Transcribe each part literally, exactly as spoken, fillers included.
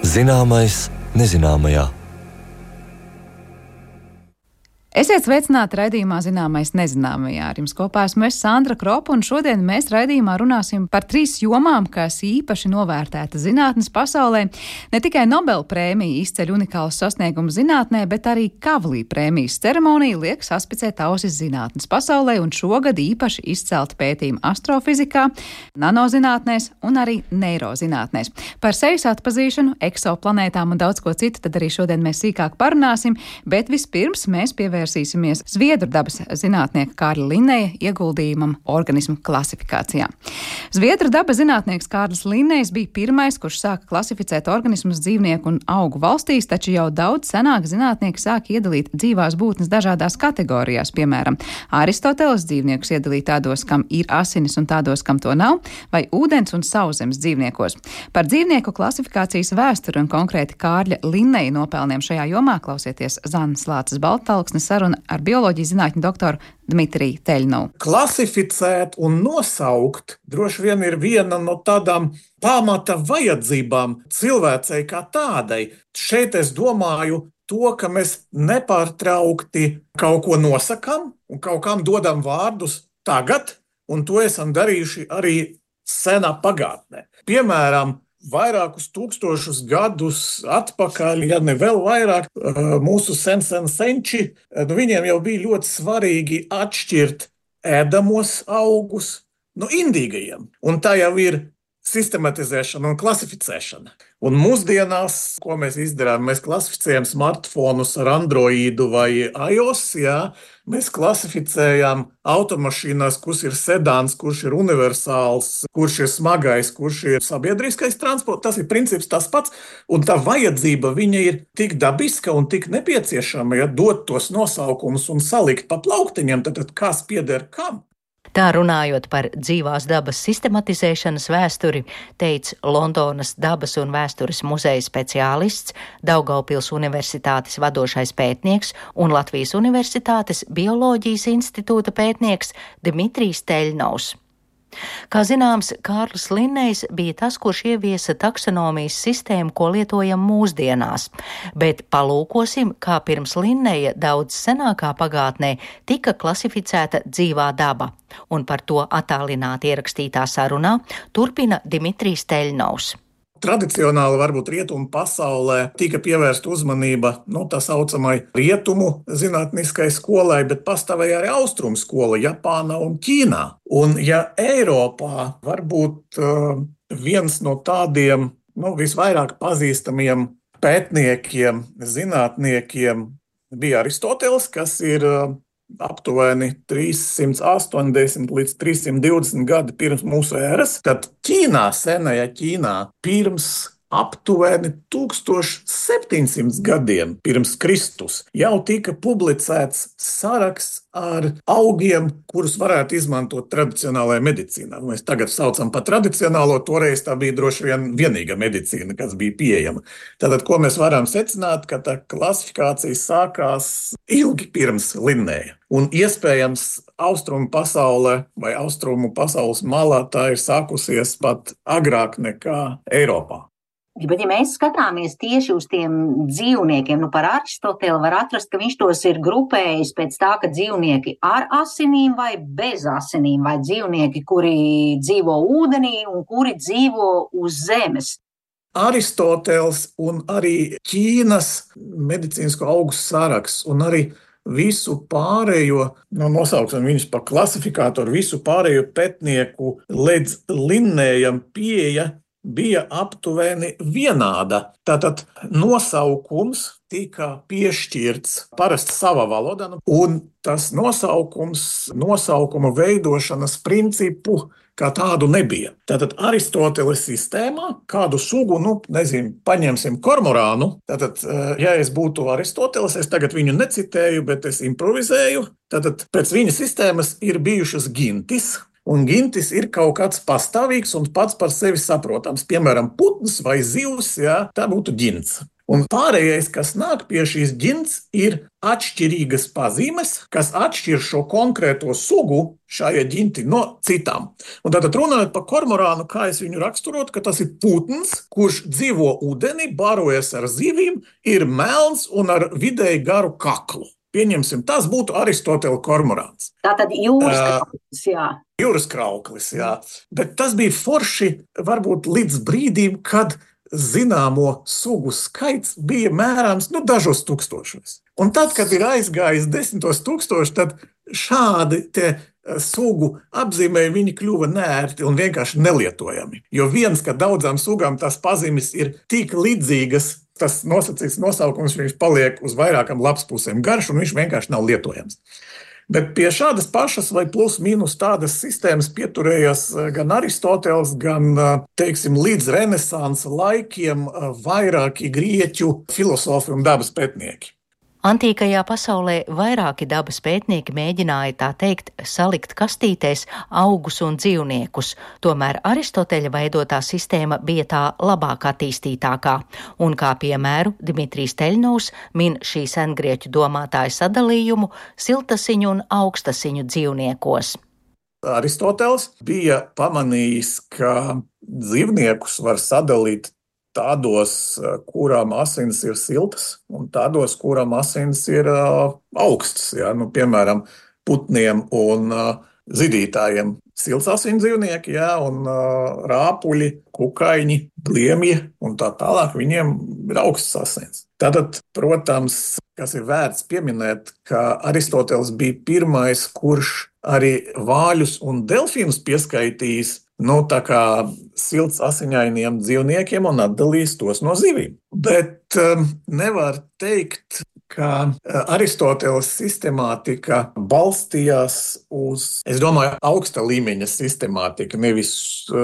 Zināmais nezināmajā. Esiet sveicināti raidījumā Zināmais nezināmajā. Ar jums kopā esmu es, Sandra Kropa, un šodien mēs raidījumā runāsim par trīs jomām, kas īpaši novērtēta zinātnes pasaulē. Ne tikai Nobela prēmija izceļ unikālus sasniegumus zinātnē, bet arī Kavlī prēmijas ceremonija liek saspicēt ausis zinātnes pasaulē, un šogad īpaši izcelti pētījumi astrofizikā, nanozinātnēs un arī neirozinātnēs. Par sejas atpazīšanu, eksoplanētām un daudz ko citu tad arī šodien mēs sīkāk parunāsim, bet vispirms mēs pievērsīsimies Vērsīsimies Zviedru dabas zinātnieka Kārļa Linneja ieguldījumam organismu klasifikācijā. Zviedru dabas zinātnieks Kārlis Linnejs bija pirmais, kurš sāka klasificēt organismus dzīvnieku un augu valstīs, taču jau daudz senāk zinātnieki sāka iedalīt dzīvās būtnes dažādās kategorijās, piemēram, Aristoteles dzīvniekus iedalīt tādos, kam ir asinis un tādos, kam to nav, vai ūdens un sauszemes dzīvniekos. Par dzīvnieku klasifikācijas vēsturi un konkrēti Kārļa Linneja nopelniem šajā jomā klausieties Zannas Lāces Balttalksnes saruna ar bioloģijas zinātņu doktoru Dmitriju Teļnovu. Klasificēt un nosaukt droši vien ir viena no tādām pamata vajadzībām cilvēcei kā tādai. Šeit es domāju to, ka mēs nepārtraukti kaut ko nosakam un kaut kam dodam vārdus tagad, un to esam darījuši arī senā pagātnē. Piemēram, vairākus tūkstošus gadus atpakaļ, ja ne vēl vairāk, mūsu sen-sen senči, nu viņiem jau bija ļoti svarīgi atšķirt ēdamos augus no indīgajiem. Un tā jau ir sistematizēšana un klasificēšana. Un mūsdienās, ko mēs izdarām, mēs klasificējam smartfonus ar Androidu vai iOS, jā, mēs klasificējam automašīnas, kurš ir sedāns, kurš ir universāls, kurš ir smagais, kurš ir sabiedriskais transports. Tas ir princips tas pats, un tā vajadzība viņa ir tik dabiska un tik nepieciešama, ja dot tos nosaukumus un salikt pa plauktiņiem, tad, tad kas pieder kam? Tā runājot par dzīvās dabas sistematizēšanas vēsturi, teica Londonas dabas un vēstures muzeja speciālists, Daugavpils universitātes vadošais pētnieks un Latvijas universitātes bioloģijas institūta pētnieks Dmitrijs Teļnovs. Kā zināms, Kārlis Linnejs bija tas, kurš ieviesa taksonomijas sistēmu, ko lietojam mūsdienās, bet palūkosim, kā pirms Linneja daudz senākā pagātnē tika klasificēta dzīvā daba, un par to attālināti ierakstītā sarunā turpina Dmitrijs Teļnovs. Tradicionāli varbūt rietumu pasaulē tika pievērsta uzmanība no tā saucamai rietumu zinātniskai skolai, bet pastāvēja arī austrumu skola Japānā un Ķīnā. Un ja Eiropā varbūt uh, viens no tādiem nu, visvairāk pazīstamiem pētniekiem, zinātniekiem bija Aristoteles, kas ir uh, aptuveni trīssimt astoņdesmit līdz trīssimt divdesmit gadi pirms mūsu ēras, tad Ķīnā, senajā Ķīnā, pirms aptuveni tūkstoš septiņsimt gadiem pirms Kristus jau tika publicēts saraksts ar augiem, kurus varētu izmantot tradicionālajā medicīnā. Mēs tagad saucam par tradicionālo, toreiz tā bija droši vien vienīga medicīna, kas bija pieejama. Tātad, ko mēs varam secināt, ka tā klasifikācija sākās ilgi pirms Linneja. Un iespējams austrumu pasaulē vai austrumu pasaules malā tā ir sākusies pat agrāk nekā Eiropā. Bet, ja mēs skatāmies tieši uz tiem dzīvniekiem, nu par Aristoteli var atrast, ka viņš tos ir grupējis pēc tā, ka dzīvnieki ar asinīm vai bez asinīm, vai dzīvnieki, kuri dzīvo ūdenī un kuri dzīvo uz zemes. Aristoteles un arī Ķīnas medicīnisko augu saraksts un arī visu pārējo, nu, nosauksim viņus par klasifikātoru, visu pārējo pētnieku līdz Linnejam pieeja bija aptuveni vienāda. Tātad nosaukums tika piešķirts parasti savā valodā, un tas nosaukums, nosaukuma veidošanas principu kā tādu nebija. Tātad Aristoteles sistēmā kādu sugu, nu, nezinu, paņemsim kormorānu. Tātad, ja es būtu Aristoteles, es tagad viņu necitēju, bet es improvizēju. Tātad pēc viņa sistēmas ir bijušas gintis, un gintis ir kaut kāds pastāvīgs un pats par sevi saprotams. Piemēram, putns vai zivs, jā, tā būtu gints. Un pārējais, kas nāk pie šīs ģints, ir atšķirīgas pazīmes, kas atšķir šo konkrēto sugu šajā ģinti no citām. Un tātad runājot par kormorānu, kā es viņu raksturotu, ka tas ir putns, kurš dzīvo ūdenī, barojas ar zivīm, ir melns un ar vidēji garu kaklu. Pieņemsim, tas būtu Aristotela kormorāns. Tātad jūras krauklis, jā. Jūras krauklis, jā. Bet tas bija forši varbūt līdz brīdim, kad zināmo sugu skaits bija mērāms nu, dažos tūkstošos. Un tad, kad ir aizgājis desmitos tūkstoši, tad šādi te sugu apzīmēji viņi kļuva neērti un vienkārši nelietojami. Jo viens, ka daudzām sugām tās pazīmes ir tik līdzīgas, tas nosacīts nosaukums, viņš paliek uz vairākam lapspusēm garš un viņš vienkārši nav lietojams. Bet pie šādas pašas vai plus mīnus tādas sistēmas pieturējās gan Aristoteles, gan, teiksim, līdz renesansa laikiem vairāki grieķu filozofi un dabas pētnieki. Antīkajā pasaulē vairāki dabas pētnieki mēģināja, tā teikt, salikt kastītēs augus un dzīvniekus, tomēr Aristoteļa veidotā sistēma bija tā labāk attīstītākā, un kā piemēru Dimitrijs Teļņovs min šī sengrieķu domātāja sadalījumu siltasiņu un augstasiņu dzīvniekos. Aristoteles bija pamanījis, ka dzīvniekus var sadalīt tādos, kurām asins ir siltas, un tādos, kurām asins ir uh, augstas. Ja? Nu, piemēram, putniem un uh, zidītājiem silts asins dzīvnieki, ja? Un uh, rāpuļi, kukaiņi, bliemji un tā tālāk, viņiem ir augstas asins. Tātad, protams, kas ir vērts pieminēt, ka Aristoteles bija pirmais, kurš arī vāļus un delfīnus pieskaitījis nu, tā kā silts asiņainiem dzīvniekiem un atdalīs tos no zivīm. Bet um, nevar teikt, ka Aristoteles sistemātika balstījās uz, es domāju, augsta līmeņa sistemātika, nevis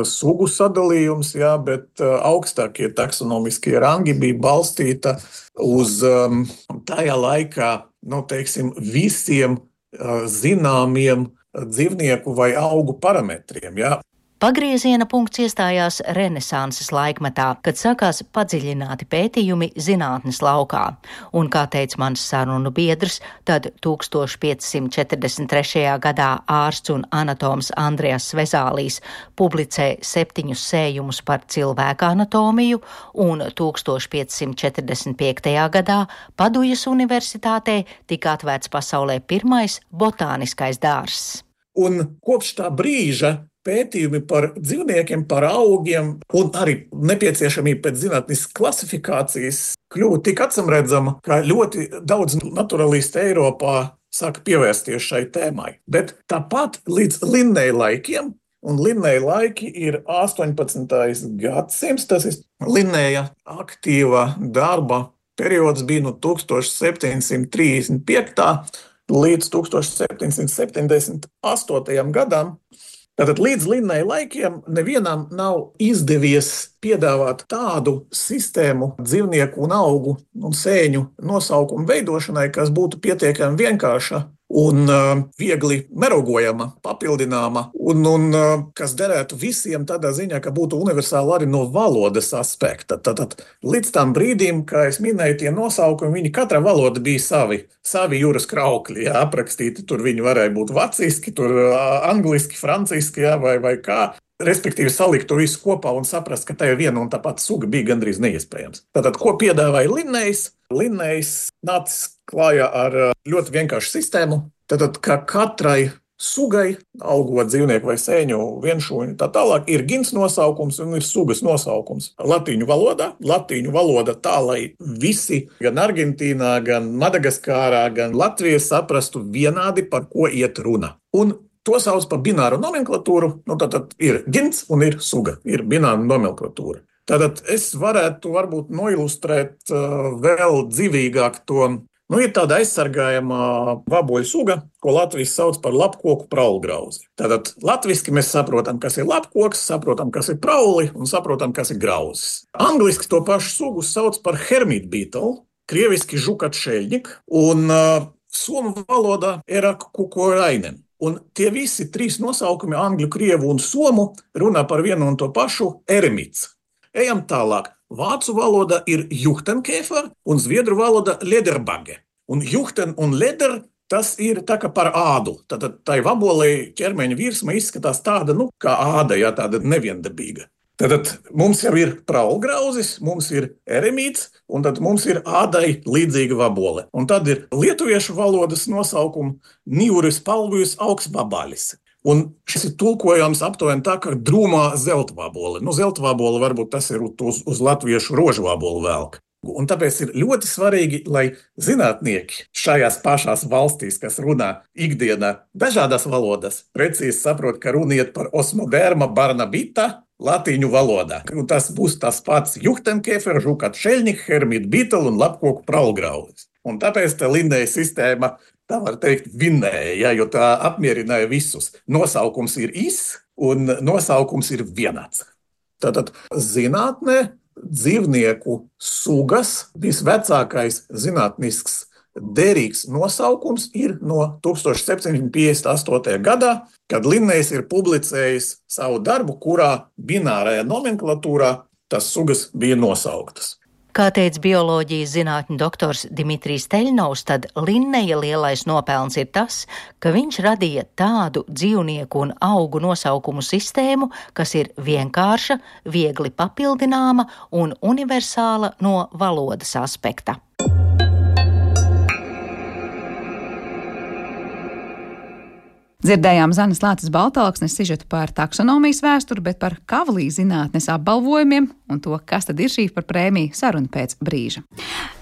sugu sadalījums, jā, bet augstākie taksonomiskie rangi bija balstīta uz um, tajā laikā, nu, teiksim, visiem uh, zināmiem dzīvnieku vai augu parametriem, jā. Pagrieziena punkts iestājās renesanses laikmetā, kad sākās padziļināti pētījumi zinātnes laukā. Un, kā teica mans sarunu biedrs, tad tūkstoš piecsimt četrdesmit trešajā gadā ārsts un anatoms Andrejas Vezālijs publicē septiņus sējumus par cilvēka anatomiju, un tūkstoš piecsimt četrdesmit piektajā gadā Padujas universitātē tika atvērts pasaulē pirmais botāniskais dārzs. Un kopš tā brīža pētījumi par dzīvniekiem, par augiem un arī nepieciešamība pēc zinātniskas klasifikācijas kļuva tik acamredzama, ka ļoti daudz naturalisti Eiropā sāka pievērsties šai tēmai. Bet tāpat līdz Linneja laikiem, un Linneja laiki ir astoņpadsmitais gadsimts, tas ir Linneja aktīva darba periods bija no tūkstoš septiņsimt trīsdesmit piektajā līdz tūkstoš septiņsimt septiņdesmit astotajam gadam. Tātad līdz Linneja laikiem nevienam nav izdevies piedāvāt tādu sistēmu dzīvnieku un augu un sēņu nosaukumu veidošanai, kas būtu pietiekami vienkārša un uh, viegli merogojama, papildināma, un, un uh, kas derētu visiem tādā ziņā, ka būtu universāli arī no valodas aspekta. Tātad līdz tam brīdim, kā es minēju, tie nosaukumi, viņi katra valoda bija savi, savi jūras kraukļi, jā, aprakstīti, tur viņi varēja būt vaciski, tur uh, angliski, franciski, jā, vai, vai kā. Respektīvi salikt to visu kopā un saprast, ka tā ir viena un tā pati suga bija gandrīz neiespējams. Tātad, ko piedāvāja Linnejs? Linnejs nācis klājā ar ļoti vienkāršu sistēmu. Tātad, ka katrai sugai, augot dzīvnieku vai sēņu, vienšūņu, tā tālāk, ir ģints nosaukums un ir sugas nosaukums. Latīņu valodā, latīņu valoda tā, lai visi, gan Argentīnā, gan Madagaskārā, gan Latvijā saprastu vienādi, par ko iet runa. Un to sauc par bināru nomenklatūru, nu tātad ir ģints un ir suga, ir bināra nomenklatūra. Tātad es varētu varbūt noilustrēt uh, vēl dzīvīgāk to, nu ir tāda aizsargājama vaboļu suga, ko Latvijas sauc par lapkoku praulgrauzi. Tātad latviski mēs saprotam, kas ir lapkoks, saprotam, kas ir prauli un saprotam, kas ir grauzis. Angliski to pašu sugu sauc par hermit beetle, krieviski žukatšeļņik un uh, somu valodā erak kukorainen. Un tie visi trīs nosaukumi, angļu, krievu un somu, runā par vienu un to pašu eremits. Ejam tālāk. vācu valoda ir Juchtenkäfer un zviedru valoda Lederbagge. Un Juchten un Leder tas ir tā kā par ādu. Tātad tai vabolei ķermeņa virsma izskatās tāda, nu, kā āda, jā, tāda neviendabīga. Tātad mums jau ir praulgrauzis, mums ir eremīts, un tad mums ir ādai līdzīga vabole. Un tad ir lietuviešu valodas nosaukuma Niuris palvijus augsbabalis. Un šis ir tulkojams aptuveni tā, kā drūmā zeltvabole. Nu, zeltvabole varbūt tas ir uz, uz latviešu rožvabolu velk. Un tāpēc ir ļoti svarīgi, lai zinātnieki šajās pašās valstīs, kas runā ikdienā dažādās valodās, precīzi saprot, ka runiet par osmoderma barnabita latīņu valodā. Un tas būs tas pats Juchtenkäfer, žukat šeļņik, hermit bitel un lapkoku praulgrauzis. Un tāpēc tā Linneja sistēma, tā var teikt, vinnēja, ja, jo tā apmierināja visus. Nosaukums ir is un nosaukums ir vienāds. Tātad zinātnē dzīvnieku sugas visvecākais zinātnisks derīgs nosaukums ir no tūkstoš septiņsimt piecdesmit astotajā gadā, kad Linnejs ir publicējis savu darbu, kurā binārajā nomenklatūrā tas sugas bija nosauktas. Kā teica bioloģijas zinātņu doktors Dimitrijs Teļnovs, tad Linneja lielais nopelns ir tas, ka viņš radīja tādu dzīvnieku un augu nosaukumu sistēmu, kas ir vienkārša, viegli papildināma un universāla no valodas aspekta. Dzirdējām Zanes Lāces Baltalksnes sižetu par taksonomijas vēsturi, bet par Kavlī zinātnes apbalvojumiem un to, kas tad ir šī par prēmiju, saruna pēc brīža.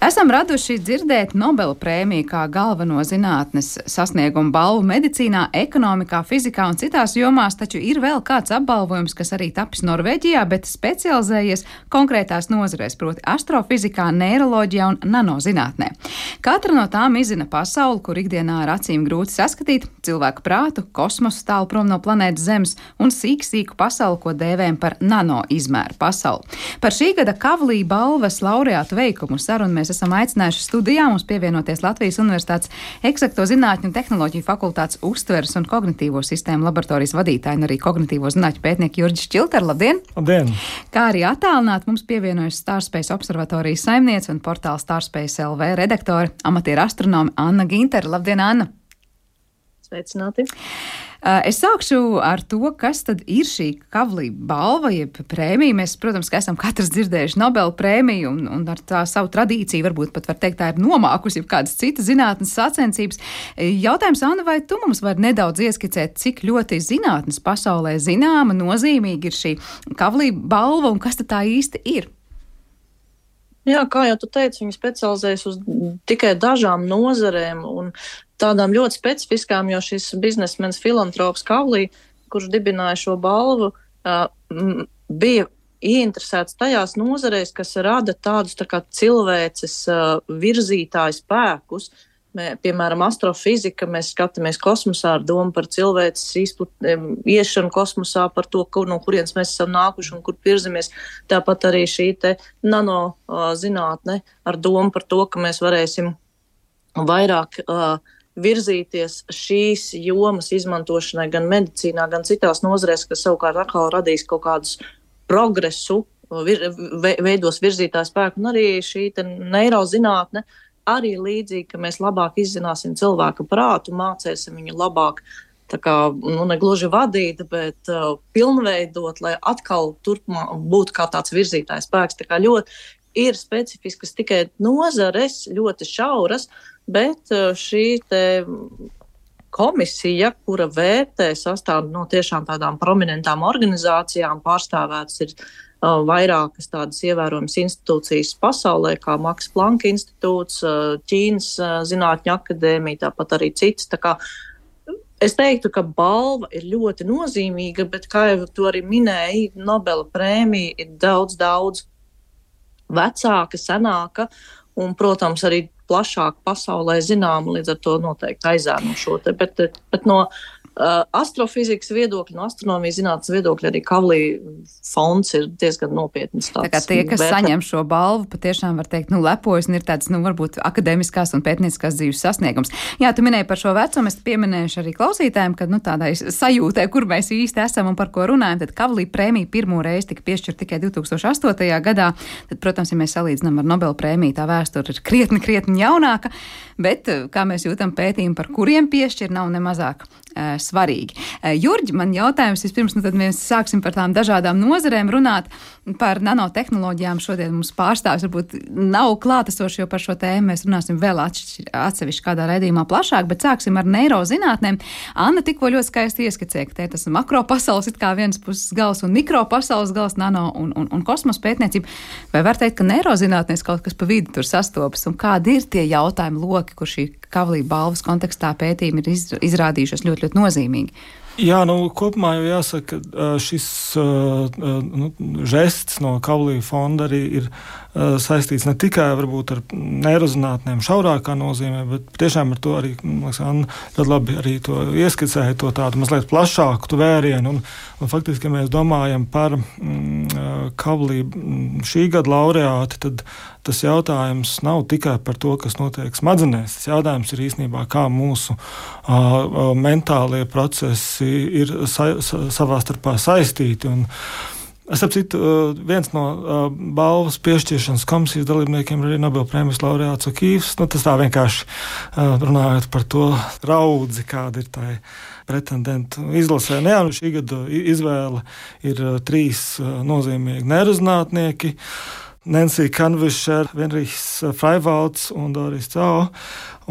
Esam raduši dzirdēt Nobela prēmiju kā galveno zinātnes sasniegumu balvu medicīnā, ekonomikā, fizikā un citās jomās, taču ir vēl kāds apbalvojums, kas arī tapis Norvēģijā, bet specializējies konkrētās nozarēs, proti astrofizikā, neiroloģijā un nanozinātnē. Katra no tām izzina pasauli, kur ikdienā ar acīm grūti saskatīt, cilvēku prātu, kosmosu tālu prom no planētas Zemes un sīku sīku pasauli, ko dēvējam par nano izmēru pasauli. Par šī gada Kavlī balvas laureātu veikumu sarunu mēs esam aicinājuši studijā mums pievienoties Latvijas Universitātes Eksakto zinātņu un tehnoloģiju fakultātes uztveres un kognitīvo sistēmu laboratorijas vadītāju un arī kognitīvo zinātņu pētnieku Jurģis Čilteru. Labdien! Labdien! Kā arī attālināt mums pievienojas Starspace observatorijas saimniece un portāla Starspace L V redaktore, amatieru astronome Anna Gintere. Labdien, Anna! Sveicināti! Es sākšu ar to, kas tad ir šī Kavlī balva, jeb prēmija. Mēs, protams, ka esam katrs dzirdējuši Nobela prēmiju un, un ar tā savu tradīciju, varbūt pat var teikt, tā ir nomākusi jau kādas citas zinātnes sacensības. Jautājums, Anna, vai tu mums vari nedaudz ieskicēt, cik ļoti zinātnes pasaulē zināma, nozīmīga ir šī Kavlī balva un kas tad tā īsti ir? Jā, kā jau tu teici, viņi specializējas uz tikai dažām nozarēm un tādām ļoti specifiskām, jo šis biznesmenis filantrops Kavlī, kurš dibināja šo balvu, bija ieinteresēts tajās nozarēs, kas rada tādus tā kā cilvēces virzītāju spēkus. Mē, piemēram, astrofizika, mēs skatāmies kosmosā ar domu par cilvēces izplat, iešanu kosmosā, par to, kur, no kurienes mēs esam nākuši un kur virzamies. Tāpat arī šī te nano uh, zinātne ar domu par to, ka mēs varēsim vairāk uh, virzīties šīs jomas izmantošanai gan medicīnā, gan citās nozarēs, kas savukārt atkal radīs kaut kādus progresu, vir, ve, veidos virzītāju spēku, un arī šī te neirozinātne, arī līdzīgi, ka mēs labāk izzināsim cilvēka prātu, mācēsim viņu labāk, tā kā, nu, ne gluži vadīt, bet uh, pilnveidot, lai atkal turpmā būtu kā tāds virzītājs spēks. Tā kā ļoti ir specifiskas tikai nozares, ļoti šauras, bet uh, šī te komisija, kura vērtē sastāv no tiešām tādām prominentām organizācijām, pārstāvētas ir vairākas tādas ievērojamas institūcijas pasaulē, kā Max Planck institūts, Ķīnas zinātņu akadēmija, tāpat arī citas. Tā kā es teiktu, ka balva ir ļoti nozīmīga, bet, kā jau tu arī minēji, Nobela prēmija ir daudz, daudz vecāka, senāka, un, protams, arī plašāk pasaulē zināma, līdz ar to noteikti aizēno šo te, bet, bet no Uh, astrofizikas viedokļa, no astronomijas zinātnes viedokļa arī Kavlī fonds ir diezgan nopietns tāds. Tā kā tie, kas vērtē. Saņem šo balvu, patiešām var teikt, nu, lepojas un ir tāds, nu, varbūt akadēmiskās un pētnieciskās dzīves sasniegums. Jā, tu minēji par šo vecumu, es pieminēšu arī klausītājiem, kad, nu, tādai sajūtē, kur mēs īsti esam un par ko runājam, tad Kavlī prēmija pirmo reizi tika piešķirta tikai divtūkstoš astotajā gadā. Tad, protams, ja mēs salīdzinām ar Nobela prēmiju, tā vēsture ir krietni, krietni jaunāka, bet, kā mēs jūtam pētījumu, par kuriem piešķir, nav nemazāk uh, svarīgi. Uh, Jurģi, man jautājums vispirms, nu tad mēs sāksim par tām dažādām nozarēm runāt, par nanotehnoloģijām. Šodien mums pārstāvis varbūt nav klātesoši, jo par šo tēmu mēs runāsim vēl atsevišķi kādā raidījumā plašāk, bet sāksim ar neirozinātnēm. Anna tikko ļoti skaisti ieskicēja, ka te tas makro pasaules it kā viens puses gals un mikro pasaules gals, nano un, un, un kosmos pētniecība. Vai var teikt, ka neirozinātnēs kaut kas pa vidu tur sastopas un kādi ir tie jautājumi loki, kur šī Kavlī balvas kontekstā pētījumi ir izrādījušies ļoti, ļoti nozīmīgi? Jā, nu, kopumā jau jāsaka, ka šis uh, nu, žests no Kavlī fonda arī ir uh, saistīts ne tikai varbūt ar neirozinātnēm šaurākā nozīmē, bet tiešām ar to arī, liekas, Anna ļoti labi arī to ieskicēja, to tādu mazliet plašāku tu vērienu. Un, un faktiski, ja mēs domājam par mm, Kavlī šī gada laureāti, tad tas jautājums nav tikai par to, kas notiek smadzenēs. Tas jautājums ir īstenībā, kā mūsu uh, mentālie procesi ir sa, sa, savā starpā saistīti. Un es apcitu, uh, viens no uh, balvas piešķiršanas komisijas dalībniekiem ir arī Nobela prēmijas laureāts O'Keefes. Nu, tas tā vienkārši uh, runājot par to raudzi, kāda ir tai pretendentu izlasē. Nu, jā, nu, šī gada izvēle ir uh, trīs uh, nozīmīgi neirozinātnieki. Nancy Kanvisher, Venrijs Freivalds un Doris Cao.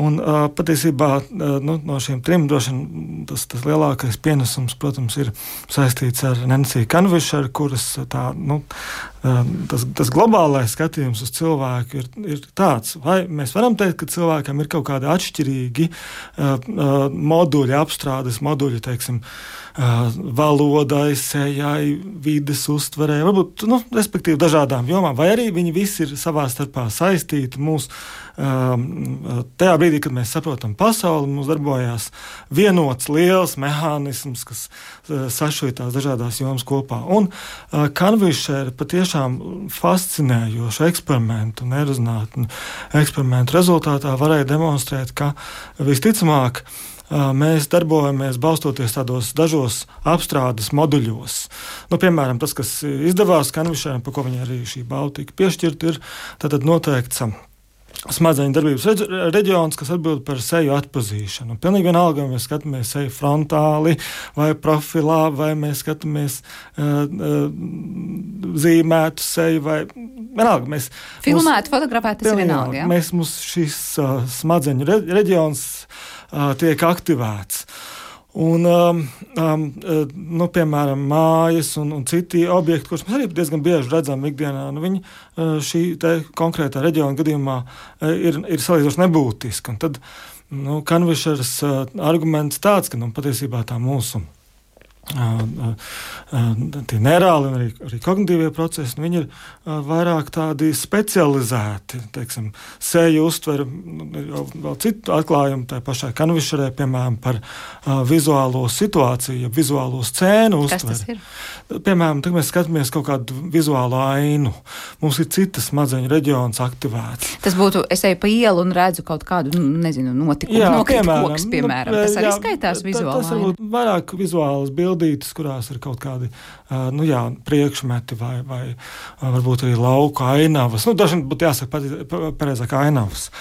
Un uh, patiesībā uh, nu, no šiem trim droši vien tas, tas lielākais pienesums, protams, ir saistīts ar Nancy Kanvisher, kuras tā, nu, uh, tas, tas globālais skatījums uz cilvēku ir, ir tāds. Vai mēs varam teikt, ka cilvēkam ir kaut kādi atšķirīgi uh, uh, moduļi, apstrādes moduļi, teiksim, uh, valodai, sejai, vides uztverē, varbūt, nu, respektīvi dažādām jomām, vai arī viņi visi ir savā starpā saistīti mūsu uh, tajā brīdī, kad mēs saprotam pasauli, mums darbojās vienots liels mehānisms, kas uh, sašuja tās dažādās jomas kopā. Un uh, Kanvisher patiešām fascinējošu eksperimentu, neirozinātņu eksperimentu rezultātā varēja demonstrēt, ka visticamāk uh, mēs darbojamies balstoties tādos dažos apstrādes moduļos. Nu, piemēram, tas, kas izdevās Kanvisheram, par ko viņa arī šī balva tika piešķirta, ir tātad noteikts smadzeņu darbības reģions, kas atbild par seju atpazīšanu. Pilnīgi vienalga, vai mēs skatāmies seju frontāli vai profilā, vai mēs skatāmies uh, uh, zīmētu seju, vai vienalga. Mēs, filmētu, fotografētu, tas ir vienalga, jā? Mēs, mums šis uh, smadzeņu re, reģions uh, tiek aktivēts. Un, um, um, nu, piemēram, mājas un, un citi objekti, kurus mēs arī diezgan bieži redzam ikdienā, nu, viņi šī te konkrētā reģiona gadījumā ir, ir salīdzinoši nebūtiski. Un tad nu, Kanvisheras arguments tāds, ka nu, patiesībā tā mūsu Uh, uh, tie neirāli un arī, arī kognitīvie procesi, nu, viņi ir uh, vairāk tādi specializēti, teiksim, seju uztver, jau vēl citu atklājumu tai pašai Kanvisherē, piemēram, par uh, vizuālo situāciju, vizuālo scēnu uztver. Kas tas ir? Piemēram, tad mēs skatāmies kaut kādu vizuālo ainu. Mums ir citas smadzeņu reģions aktivēts. Tas būtu, es eju pa ielu un redzu kaut kādu, nu, nezinu, notikumu, nokrīt koks, piemēram. Nu, tas arī jā, skaitās vizuāli. Tas varbūt vairāk vizuālas bildes, bildītes, kurās ir kaut kādi uh, nu jā, priekšmeti vai, vai uh, varbūt arī lauka ainavas. Nu, dažiem būtu jāsaka pareizāk ainavas.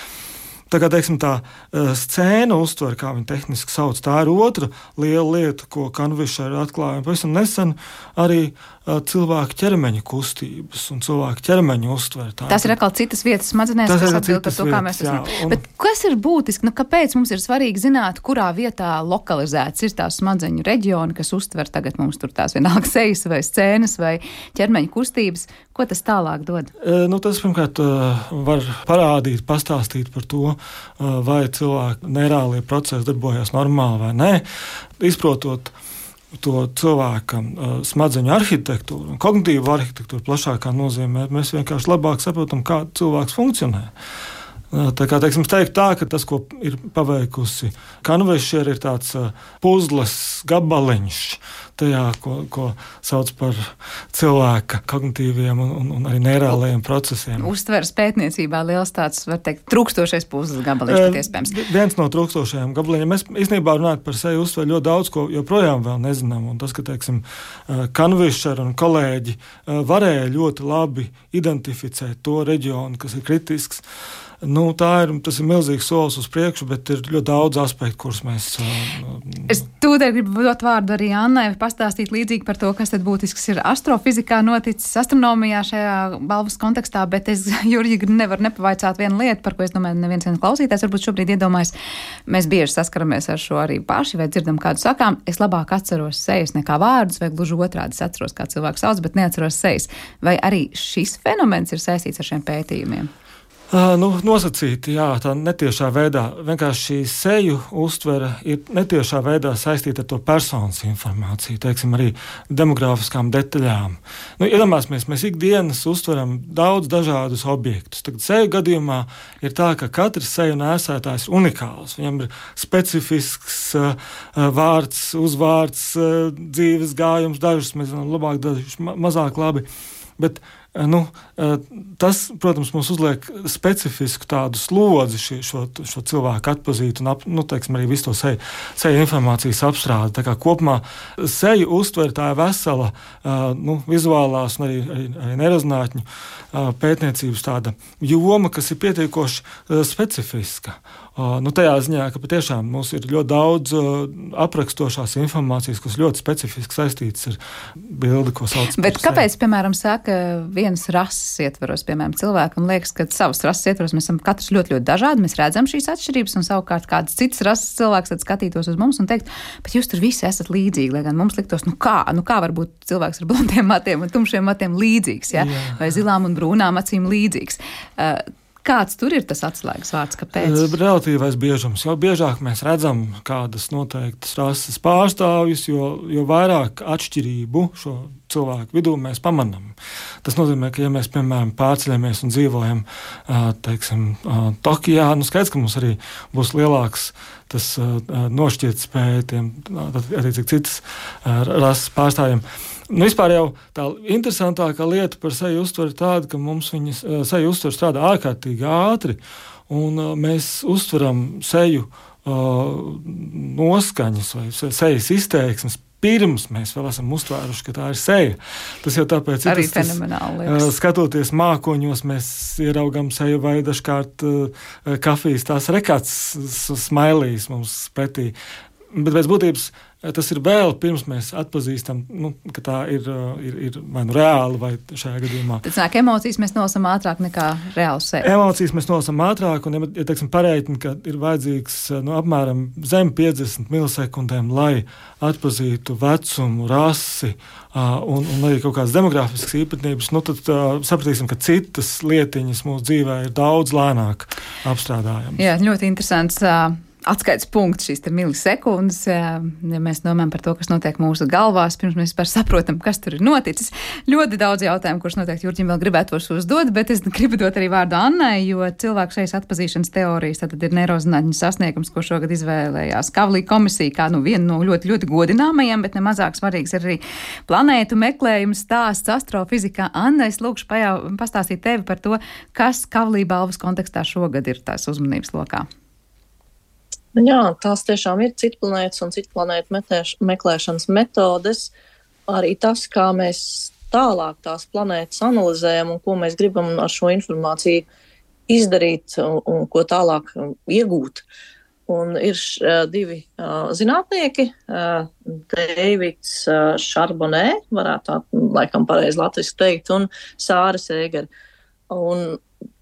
Tā kā, teiksim, tā uh, scēna uztver, kā viņi tehniski sauc, tā ir otra liela lieta, ko Kanvisher atklāja. Pavisam nesen arī uh, cilvēku ķermeņa kustības un cilvēku ķermeņa uztver. Tā tas ir atkal citas vietas smadzenēs, kas atbild par to, kā mēs esam. Un... Bet kas ir būtiski? Nu, kāpēc mums ir svarīgi zināt, kurā vietā lokalizēts ir tās smadzeņu reģioni, kas uztver tagad mums tur tās vienalga sejas vai scēnas vai ķermeņa kustības? Ko tas tālāk dod? E, nu, tas, pirmkārt, var parādīt, pastāstīt par to, vai cilvēku neirālie procesi darbojas normāli vai nē, izprotot to cilvēka uh, smadzeņu arhitektūru un kognitīvu arhitektūru plašākā nozīmē, mēs vienkārši labāk saprotam, kā cilvēks funkcionē. Tā kā, teiksim, teikt tā, ka tas, ko ir paveikusi Kanvešer, ir tāds puzles gabaliņš tajā, ko, ko sauc par cilvēka kognitīviem un, un, un arī neirālajiem procesiem. Uztveres pētniecībā liels tāds, var teikt, trūkstošais puzles gabaliņš, pat iespējams. Viens no trūkstošajiem gabaliņiem. Mēs īstenībā runājam par seju uztveru ļoti daudz, ko joprojām vēl nezinām. Un tas, ka, teiksim, Kanvešer un kolēģi varēja ļoti labi identificēt to reģionu, kas ir kritisks. Nu, tā ir, tas ir milzīgs solis uz priekšu, bet ir ļoti daudz aspektu, kurus mēs... Uh, es tūdēļ gribu dot vārdu arī Annai, pastāstīt līdzīgi par to, kas tad būtisks ir astrofizikā noticis, astronomijā šajā balvas kontekstā, bet es, Jurģi, nevaru nepavaicāt vienu lietu, par ko es domāju, neviens viens klausītājs varbūt šobrīd iedomājas. Mēs bieži saskaramies ar šo arī paši, vai dzirdam kādu sakām. Es labāk atceros sejas nekā vārdus, vai gluži otrādi es atceros, kā cilvēku sauc, bet neatceros sejas. Vai arī šis fenomens ir saistīts ar šiem pētījumiem? Uh, nu, nosacīti, jā, tā netiešā veidā. Vienkārši šī seju uztvere ir netiešā veidā saistīta ar to personas informāciju, teiksim, arī demogrāfiskām detaļām. Nu, iedomāsimies, mēs ikdienas uztveram daudz dažādus objektus. Tagad seju gadījumā ir tā, ka katrs seju nēsētājs ir unikāls. Viņam ir specifisks uh, vārds, uzvārds, uh, dzīves gājums, dažus mēs zinām labāk, dažus ma- mazāk labi, bet Nu, tas, protams, mums uzliek specifisku tādu slodzi šī, šo, šo cilvēku atpazīt un, ap, nu, teiksim, arī visu to seju, seju informācijas apstrādi. Tā kā kopumā seju uztver tā vesela nu, vizuālās un arī, arī, arī nerezinātņu pētniecības tāda joma, kas ir pietiekoši specifiska. Nu, tajā ziņā, ka patiešām mums ir ļoti daudz aprakstošās informācijas, kas ļoti specifiski saistītas ar bildi, ko sauc par Bet kāpēc, piemēram, saka vienas rases ietvaros, piemēram, cilvēkam liekas, ka savas rases ietvaros mēs esam katrs ļoti, ļoti dažādi, mēs redzam šīs atšķirības, un savukārt kāds cits rases cilvēks tad skatītos uz mums un teikt, bet jūs tur visi esat līdzīgi, lai gan mums liktos, nu kā, nu kā var būt cilvēks ar blondiem matiem un tumšiem matiem līdzīgs, ja? Jā. Vai zilām un brūnām acīm līdzīgs. Uh, Kāds tur ir tas atslēgas vārds, kāpēc? Relatīvais biežums. Jo biežāk mēs redzam kādas noteiktas rases pārstāvjus, jo, jo vairāk atšķirību šo cilvēku vidū mēs pamanām. Tas nozīmē, ka ja mēs, piemēram, pārceļamies un dzīvojam, teiksim, Tokijā, nu skaidrs, ka mums arī būs lielāks tas nošķirtspēja tiem, arī cik citas rases pārstāvjiem. Nu, vispār jau tā interesantākā lieta par seju uztveru ir tāda, ka mums viņas seju uztver strādā ārkārtīgi ātri, un mēs uztveram seju uh, noskaņas vai sejas izteiksmes pirms mēs vēl esam uztvēruši, ka tā ir seja. Tas jau tāpēc arī ir tas, fenomenāli tas, skatoties mākoņos, mēs ieraugam seju vai dažkārt uh, kafijas tās rekats smailīs mums pretī. Bet pēc būtības tas ir vēl pirms mēs atpazīstam, nu, ka tā ir, ir, ir vai nu reāli, vai šajā gadījumā. Tad nāk, emocijas mēs nolasam ātrāk nekā reāli sevi. Emocijas mēs nolasam ātrāk, un, ja teiksim, pareiķini, ka ir vajadzīgs nu, apmēram zem piecdesmit milisekundēm, lai atpazītu vecumu, rasi un, un arī kaut kādas demogrāfiskas īpatnības, nu, tad uh, sapratīsim, ka citas lietiņas mūsu dzīvē ir daudz lēnāk apstrādājamas. Jā, ļoti interesants uh, atskaites punkts šīs te milisekundes, ja mēs domājam par to, kas notiek mūsu galvās, pirms mēs vispār saprotam, kas tur ir noticis. Ļoti daudz jautājumu, kurus noteikti Jurģim vēl gribētos uzdot, bet es gribu dot arī vārdu Annai, jo cilvēku šejas atpazīšanas teorijas tad ir neirozinātņu sasniegums, ko šogad izvēlējās Kavlī komisija, kā nu viena no ļoti, ļoti godināmajiem, bet nemazāk svarīgs ir arī planētu meklējums stāsts astrofizikā. Anna, es lūkšu pajau, pastāstīt tevi par to, kas Kavlī balvas kontekstā šogad ir tās uzmanības lokā. Jā, tās tiešām ir citplanētas un citplanētu meklēšanas metodes. Arī tas, kā mēs tālāk tās planētas analizējam un ko mēs gribam ar šo informāciju izdarīt un, un ko tālāk iegūt. Un ir š, divi uh, zinātnieki, uh, Deivids uh, Šarbonē, varētu tā laikam pareizi latviski teikt, un Sāra Sēgera. Un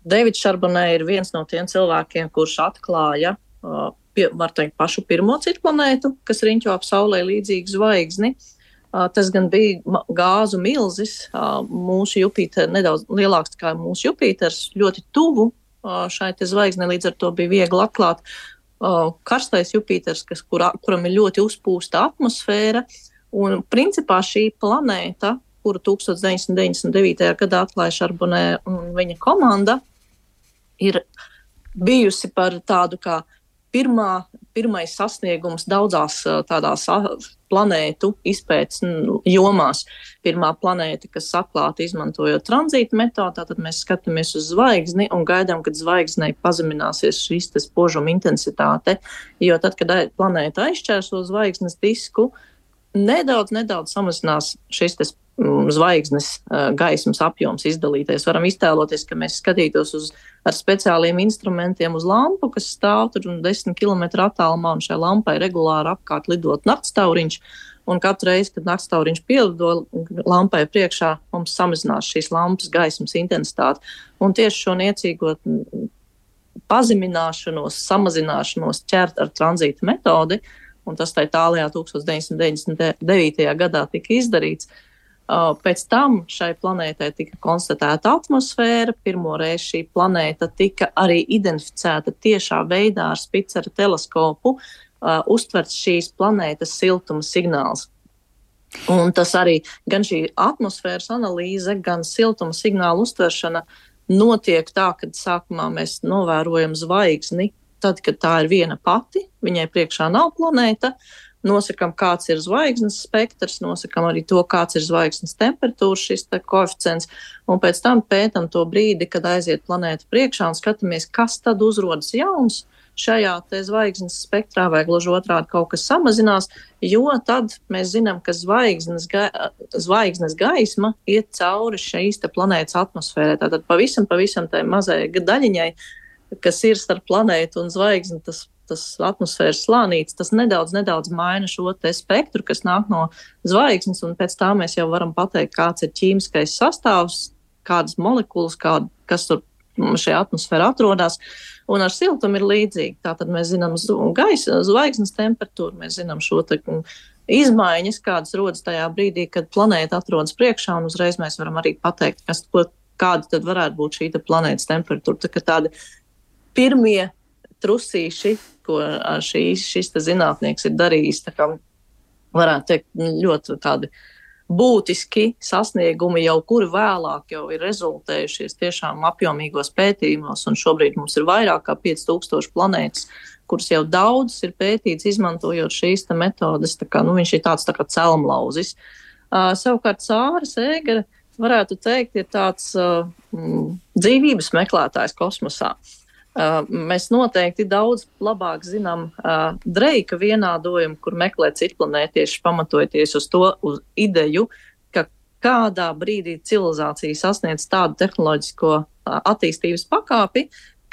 Deivids Šarbonē ir viens no tiem cilvēkiem, kurš atklāja uh, Pie, var teikt, pašu pirmo citplanētu, kas riņķo ap Saulei līdzīgu zvaigzni. Uh, tas gan bija gāzu milzis, uh, mūsu Jupiter nedaudz lielāks kā mūsu Jupiters, ļoti tuvu uh, šai te zvaigznei, līdz ar to bija viegli atklāt uh, karstais Jupiters, kas, kurā, kuram ir ļoti uzpūsta atmosfēra. Un principā šī planēta, kuru tūkstoš deviņsimt deviņdesmit devītajā gadā atklāja Šarbonē un viņa komanda, ir bijusi par tādu kā pirmā, pirmais sasniegums daudzās tādās planētu izpētes jomās. Pirmā planēta, kas atklāta izmantojot tranzīta metodu, tātad mēs skatāmies uz zvaigzni un gaidām, kad zvaigznei pazemināsies šīs tas spožuma intensitāte, jo tad, kad planēta aizšķērso zvaigznes disku, nedaudz, nedaudz samazinās šis tas zvaigznes gaismas apjoms izdalīties. Varam iztēloties, ka mēs skatītos uz, ar speciāliem instrumentiem uz lampu, kas stāv tur desmit kilometru attālumā, un šai lampai regulāri apkārt lidot naktstauriņš, un katru reizi, kad naktstauriņš pielido lampai priekšā, mums samazinās šīs lampas gaismas intensitāte. Un tieši šo niecīgo pazemināšanos, samazināšanos ķert ar tranzīta metodi, un tas tā tālajā tukstos deviņsimt deviņdesmit devītajā gadā tika izdarīts. Pēc tam šai planētai tika konstatēta atmosfēra. Pirmo reizi šī planēta tika arī identificēta tiešā veidā ar Spicera teleskopu, uh, uztverts šīs planētas siltuma signāls. Un tas arī gan šī atmosfēras analīze, gan siltuma signāla uztveršana notiek tā, kad sākumā mēs novērojam zvaigzni, tad, kad tā ir viena pati, viņai priekšā nav planēta. Nosakam, kāds ir zvaigznes spektrs, nosakam arī to, kāds ir zvaigznes temperatūras, šis te koeficients, un pēc tam pētam to brīdi, kad aiziet planēta priekšā un skatāmies, kas tad uzrodas jauns šajā te zvaigznes spektrā, vai gluži otrādi kaut kas samazinās, jo tad mēs zinām, ka zvaigznes, ga, zvaigznes gaisma iet cauri šīs te planētas atmosfērē. Tātad pavisam, pavisam tai mazai daļiņai, kas ir starp planētu un zvaigzni, tas tas atmosfēras slānīts, tas nedaudz, nedaudz maina šo te spektru, kas nāk no zvaigznes, un pēc tā mēs jau varam pateikt, kāds ir ķīmiskais sastāvs, kādas molekulas, kāda, kas tur šajā atmosfērā atrodas, un ar siltumu ir līdzīgi. Tātad mēs zinām gaisa, zvaigznes temperatūru, mēs zinām šo te izmaiņas, kādas rodas tajā brīdī, kad planēta atrodas priekšā, un uzreiz mēs varam arī pateikt, kas, kāda tad varētu būt šī te planētas temperatūra. Tā kā tādi pirmie trusīši, ko šīs, šis zinātnieks ir darījis, tā kā varētu teikt, ļoti tādi būtiski sasniegumi jau, kuri vēlāk jau ir rezultējušies tiešām apjomīgos pētījumos, un šobrīd mums ir vairāk kā pieci tūkstoši planētas, kuras jau daudz ir pētīts, izmantojot šīs te metodes, tā kā, nu, viņš ir tāds tā kā celmlauzis. Uh, savukārt Sāra Sēgere, varētu teikt, ir tāds uh, dzīvības meklētājs kosmosā. Uh, mēs noteikti daudz labāk zinām uh, Dreika vienādojumu, kur meklē citplanētieši, pamatojoties uz to uz ideju, ka kādā brīdī civilizācija sasniedz tādu tehnoloģisko uh, attīstības pakāpi,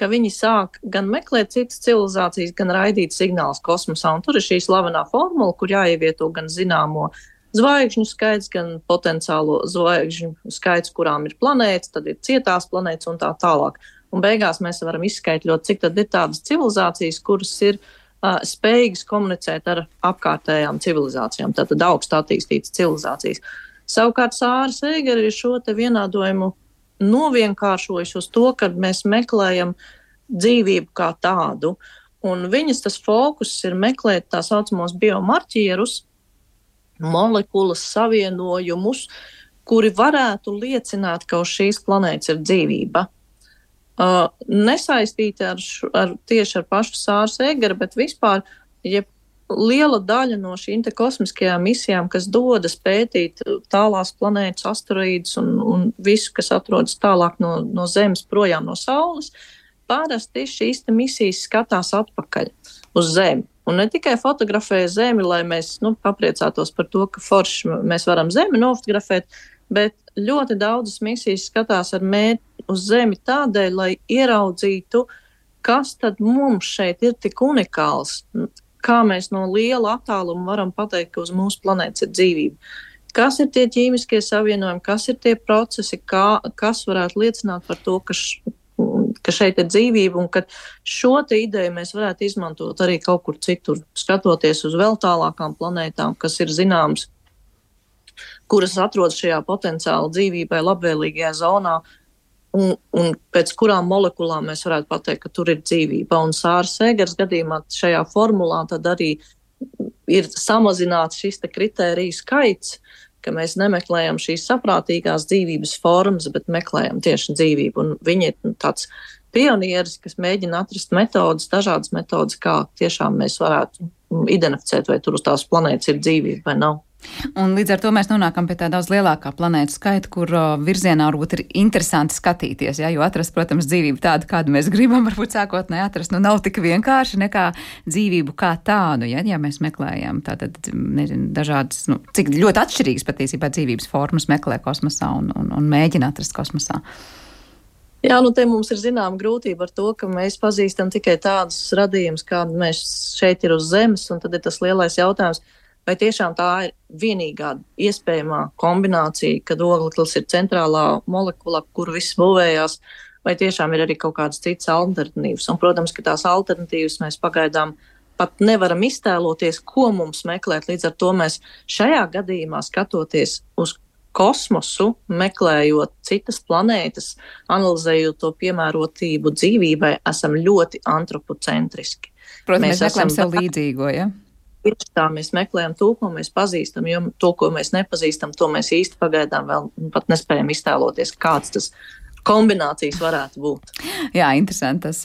ka viņi sāk gan meklēt citas civilizācijas, gan raidīt signālus kosmosā. Un tur ir šī slavenā formula, kur jāievieto gan zināmo zvaigžņu skaits, gan potenciālo zvaigžņu skaits, kurām ir planētas, tad ir cietās planētas un tā tālāk. Un beigās mēs varam izskaitļot, cik tad ir tādas civilizācijas, kuras ir uh, spējīgas komunicēt ar apkārtējām civilizācijām, tātad augstu attīstītas civilizācijas. Savukārt Sāra Sēgere ir šo te vienādojumu novienkāršojis uz to, kad mēs meklējam dzīvību kā tādu, un viņas tas fokus ir meklēt tā saucamos biomarķierus, molekulas savienojumus, kuri varētu liecināt, ka uz šīs planētas ir dzīvība. Uh, nesaistīti ar, š, ar tieši ar pašu Sāru Sēgeri, bet vispār, ja liela daļa no šīm te kosmiskajām misijām, kas dodas pētīt tālās planētas, asteroīdus un, un visu, kas atrodas tālāk no, no Zemes, projām no Saules, parasti šīs te misijas skatās atpakaļ uz Zemi. Un ne tikai fotografē Zemi, lai mēs, nu, papriecātos par to, ka forši mēs varam Zemi nofotografēt, bet ļoti daudzas misijas skatās ar mērķi uz Zemi tādēļ, lai ieraudzītu, kas tad mums šeit ir tik unikāls, kā mēs no liela attāluma varam pateikt, ka uz mūsu planētas ir dzīvība. Kas ir tie ķīmiskie savienojumi, kas ir tie procesi, kā, kas varētu liecināt par to, ka, š, ka šeit ir dzīvība, un ka šo te ideju mēs varētu izmantot arī kaut kur citur, skatoties uz vēl tālākām planētām, kas ir zināmas, kuras atrodas šajā potenciāli dzīvībai labvēlīgajā zonā, un, un pēc kurām molekulām mēs varētu pateikt, ka tur ir dzīvība. Un Sāra Sēgeres gadījumā šajā formulā tad arī ir samazināts šis te kritēriju skaits, ka mēs nemeklējam šīs saprātīgās dzīvības formas, bet meklējam tieši dzīvību. Un viņi ir tāds pionieris, kas mēģina atrast metodas, dažādas metodas, kā tiešām mēs varētu identificēt, vai tur uz tās planētas ir dzīvība vai nav. Un līdz ar to mēs nonākam pie tā daudz lielākā planētu skaita, kur uh, virzienā varbūt ir interesanti skatīties, ja, jo atrast, protams, dzīvību tādu, kādu mēs gribam, varbūt sākotnēji atrast, nu nav tik vienkārši nekā dzīvību kā tādu, ja, ja mēs meklējam tātad, nezinu, dažādas, nu, cik ļoti atšķirīgas patiesībā dzīvības formas meklē kosmosā un, un, un mēģina atrast kosmosā. Jā, nu te mums ir zināma grūtība ar to, ka mēs pazīstam tikai tādus radījumus, kādi mēs šeit ir uz Zemes, un tad ir tas lielais jautājums, vai tiešām tā ir vienīgā iespējamā kombinācija, kad ogleklis ir centrālā molekula, kur viss būvējās, vai tiešām ir arī kaut kādas citas alternatīvas. Un, protams, ka tās alternatīvas mēs pagaidām pat nevaram iztēloties, ko mums meklēt. Līdz ar to mēs šajā gadījumā skatoties uz kosmosu, meklējot citas planētas, analizējot to piemērotību dzīvībai, esam ļoti antropocentriski. Protams, mēs, mēs meklējam sev līdzīgo, ja? Tieši tā, mēs meklējam to, ko mēs pazīstam, jo to, ko mēs nepazīstam, to mēs īsti pagaidām vēl pat nespējam iztēloties, kāds tas kombinācijas varētu būt. Jā, interesanti. Tas,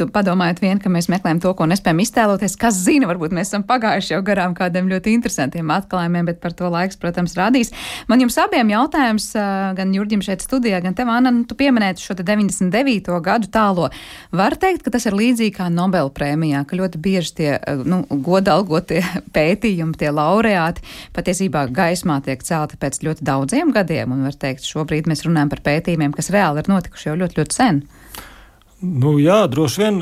padomājot vien, ka mēs meklējam to, ko nespējam iztēloties, kas zina, varbūt mēs esam pagājuši jau garām kādiem ļoti interesantiem atklājumiem, bet par to laiks, protams, rādīs. Man jums abiem jautājums, gan Jurģim šeit studijā, gan tev, Anna, tu pieminēti šo te deviņdesmit devīto gadu tālo. Var teikt, ka tas ir līdzīgi kā Nobela prēmijā, ka ļoti bieži tie, nu, godalgotie pētījumi, tie laureāti patiesībā gaismā tiek celti pēc ļoti daudziem gadiem, un var teikt, šobrīd mēs runājam par pētījumiem, kas reāli ir notikuši jau ļoti, ļoti sen. Nu, jā, droši vien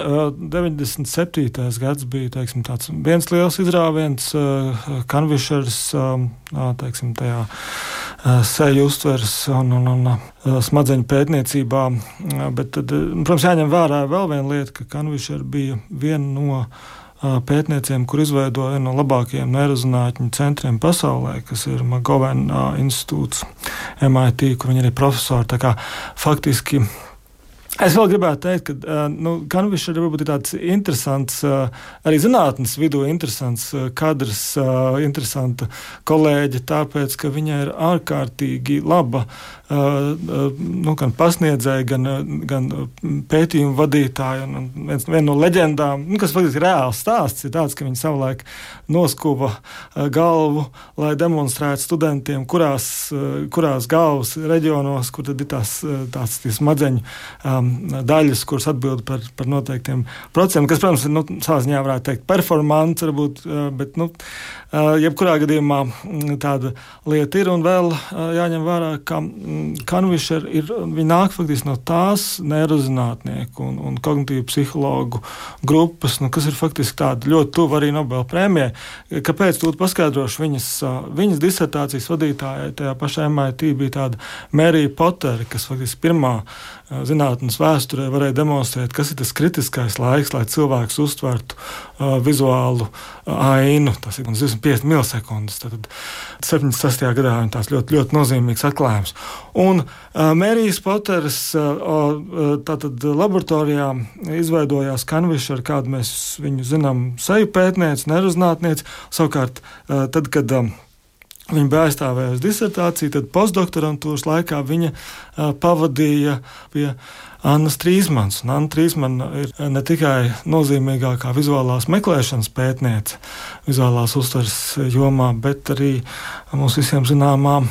deviņdesmit septītais gads bija, teiksim, tāds viens liels izrāviens, Kanvišers, teiksim, tajā seju uztveres un, un, un smadzeņu pētniecībā, bet tad, protams, jāņem vērā vēl viena lieta, ka Kanvišer bija viena no pētnieciem, kur izveidoja vienu no labākajiem neirozinātņu centriem pasaulē, kas ir McGovern institūts M I T, kur viņi ir profesori. Tā kā faktiski es vēl gribētu teikt, ka nu, Kanvišer varbūt ir tāds interesants, arī zinātnes vidū interesants kadrs, interesanta kolēģe, tāpēc, ka viņa ir ārkārtīgi laba nu, gan pasniedzēja, gan, gan pētījumu vadītāja. Un viens, viena no leģendām, nu, kas faktiski reāls stāsts, ir tāds, ka viņa savulaik noskuva galvu, lai demonstrētu studentiem, kurās, kurās galvas reģionos, kur tad ir tās, tās smadzeņu um, daļas, kuras atbild par, par noteiktiem procesiem, kas, protams, ir, nu, savā ziņā varētu teikt performants, varbūt, bet, nu, jebkurā gadījumā tāda lieta ir, un vēl jāņem vērā, ka Kanvišer ir, viņi nāk faktiski no tās neirozinātnieku un, un kognitīvu psihologu grupas, nu, kas ir faktiski tāda ļoti tuva arī Nobela prēmijai. Kāpēc tūlīt paskaidrošu? Viņas, viņas disertācijas vadītājai tajā pašā M I T bija tāda Mērija Potere, kas faktiski pirmā zinātnes vēsturē varēja demonstrēt, kas ir tas kritiskais laiks, lai cilvēks uztvertu uh, vizuālu ainu. Tas ir divsimt piecdesmit milisekundes. Tad septiņdesmit sastajā gadā viņa tās ļoti, ļoti nozīmīgs atklājums. Un uh, Mērijas Poteres uh, uh, tātad laboratorijā izveidojās Kanvišer, kādu mēs viņu zinām, seju pētniec, neirozinātniec. Savukārt, uh, tad, kad um, viņa bija aizstāvējusi disertāciju, tad postdoktorantūras laikā viņa uh, pavadīja pie Annas Trīsmanas. Un Anna Trīsmana ir ne tikai nozīmīgākā vizuālās meklēšanas pētniece vizuālās uztveres jomā, bet arī mums visiem zināmā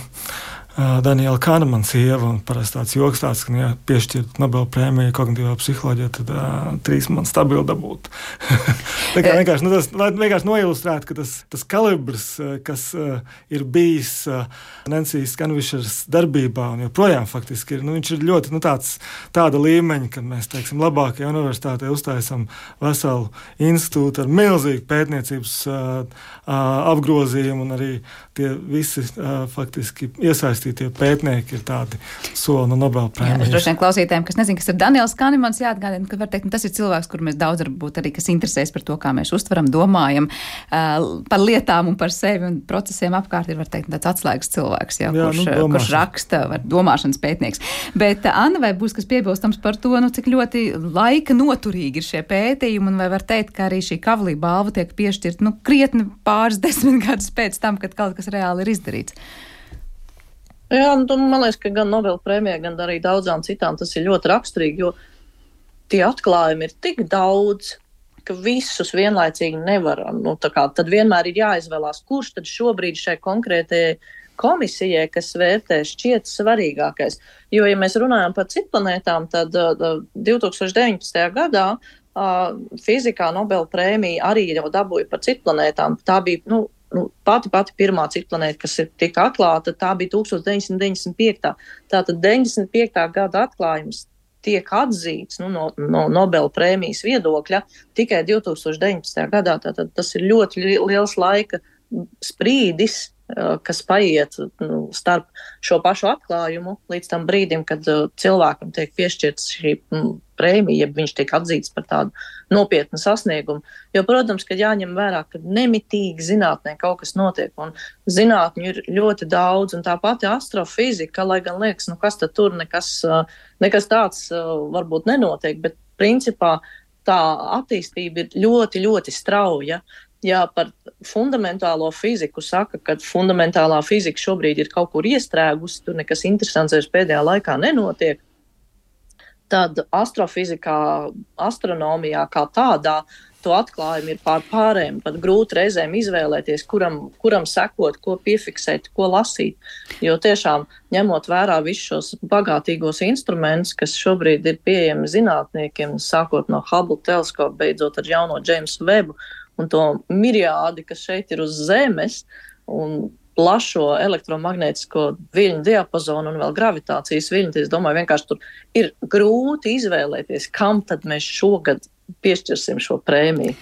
Daniela Kahnemana sieva, un parasti tāds joks tāds, ka, ja piešķirt Nobela prēmiju kognitīvā psiholoģijā, tad uh, trīs man stabili dabūt. Tā kā vienkārši, nu, tas, lai vienkārši noilustrētu, ka tas, tas kalibrs, kas uh, ir bijis uh, Nancijas Kanvišeras darbībā, un joprojām faktiski ir, nu, viņš ir ļoti, nu, tāds, tāda līmeņa, kad mēs, teiksim, labākajā universitātē uztaisam veselu institūtu ar milzīgu pētniecības uh, uh, apgrozījumu, un arī tie visi uh, faktiski iesaistīti tie pētnieki ir tādi soli no Nobela prēmijas. Droši vien klausītājiem, kas nezin, kas ir Daniels Kahnemans, jāatgādina, ka var teikt, tas ir cilvēks, kur mēs daudz varbūt arī, kas interesēs par to, kā mēs uztveram, domājam uh, par lietām un par sevi un procesiem apkārt, ir, var teikt, tāds atslēgas cilvēks, jā, jā, kurš, nu, kurš raksta, var, domāšanas pētnieks. Bet, Anna, vai būs kas piebilstams par to, nu, cik ļoti laika noturīgi ir šie pētījumi, un vai var teikt, ka arī šī Kavlī balva tiek piešķirt, nu, krietni pāris desmit gadus pēc tam, kad kaut kas reāli ir izdarīts? Jā, nu, man liekas, ka gan Nobela prēmijai, gan arī daudzām citām tas ir ļoti raksturīgi, jo tie atklājumi ir tik daudz, ka visus vienlaicīgi nevaram. Nu, tā kā, tad vienmēr ir jāizvēlās, kurš tad šobrīd šai konkrētajai komisijai, kas vērtē, šķiet svarīgākais. Jo, ja mēs runājam par citplanētām, tad uh, divi tūkstoši deviņpadsmitajā gadā uh, fizikā Nobela prēmija arī jau dabūja par citplanētām. Tā bija, nu, nu, pati pati pirmā citplanēta, kas ir tika atklāta, tā bija deviņdesmit deviņdesmit piekta. Tātad deviņdesmit piektā gada atklājums tiek atzīts nu, no, no Nobela prēmijas viedokļa tikai divi tūkstoši deviņpadsmitajā gadā. Tātad tas ir ļoti liels laika sprīdis, kas paiet nu, starp šo pašu atklājumu līdz tam brīdim, kad uh, cilvēkam tiek piešķirts šī mm, prēmija, ja viņš tiek atzīts par tādu nopietnu sasniegumu. Jo, protams, ka jāņem vērā, ka nemitīgi zinātnē kaut kas notiek, un zinātņu ir ļoti daudz, un tā pati astrofizika, lai gan liekas, nu kas tad tur nekas, uh, nekas tāds uh, varbūt nenotiek, bet principā tā attīstība ir ļoti, ļoti strauja. Ja par fundamentālo fiziku saka, ka fundamentālā fizika šobrīd ir kaut kur iestrēgusi, tur nekas interesants vairs pēdējā laikā nenotiek, tad astrofizikā, astronomijā kā tādā, to atklājumi ir pār pārējiem, pat grūti reizēm izvēlēties, kuram, kuram sekot, ko piefiksēt, ko lasīt. Jo tiešām ņemot vērā visus šos bagātīgos instrumentus, kas šobrīd ir pieejami zinātniekiem, sākot no Hubble teleskopa, beidzot ar jauno Jamesu Webu, un to miriādi, kas šeit ir uz Zemes, un plašo elektromagnētisko viļņu diapazonu un vēl gravitācijas viļņu. Es domāju, vienkārši tur ir grūti izvēlēties, kam tad mēs šogad piešķirsim šo prēmiju.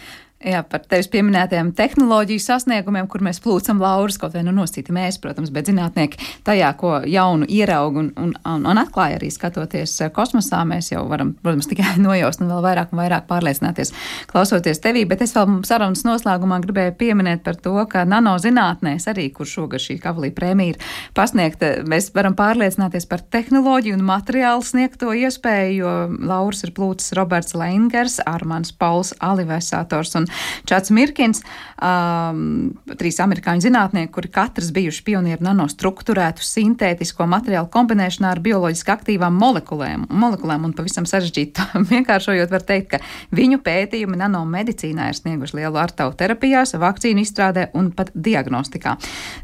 Jā, par tevis pieminētajiem tehnoloģiju sasniegumiem, kur mēs plūcam laurus, kaut vai nu nosīti mēs, protams, bet zinātnieki tajā, ko jaunu ieraug un, un, un, un atklāja arī skatoties kosmosā, mēs jau varam, protams, tikai nojaust un vēl vairāk un vairāk pārliecināties klausoties tevī, bet es vēl sarunas noslēgumā gribēju pieminēt par to, ka nanozinātnēs arī, kur šogad šī Kavlī prēmija ir pasniegta, mēs varam pārliecināties par tehnoloģiju un materiālu sniegto iespēju, jo laurus ir plūcis Roberts Leingers, Armāns Pauls, Alivesators un Čats Mirkins, um, trīs amerikāņu zinātnieki, kuri katrs bijuši pionieri nanostruktūrētu sintētisko materiālu kombinēšanā ar bioloģiski aktīvām molekulēm, molekulēm un pavisam sarežģītu vienkāršojot var teikt, ka viņu pētījumi nanomedicīnā ir snieguši lielu artavu terapijās, vakcīnu izstrādē un pat diagnostikā.